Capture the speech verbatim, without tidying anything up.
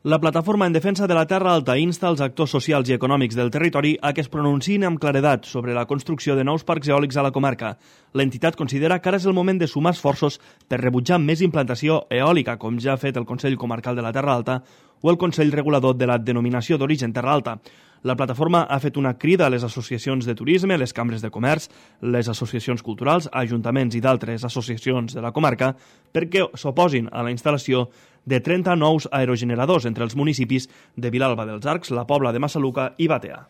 La Plataforma en Defensa de la Terra Alta insta els actors socials i econòmics del territori a que es pronunciïn amb claredat sobre la construcció de nous parcs eòlics a la comarca. L'entitat considera que ara és el moment de sumar esforços per rebutjar més implantació eòlica, com ja ha fet el Consell Comarcal de la Terra Alta o el Consell Regulador de la Denominació d'Origen Terra Alta. La plataforma ha fet una crida a les associacions de turisme, les cambres de comerç, les associacions culturals, ajuntaments i d'altres associacions de la comarca perquè s'oposin a la instal·lació de trenta nous aerogeneradors entre els municipis de Vilalba dels Arcs, la Pobla de Massaluca i Batea.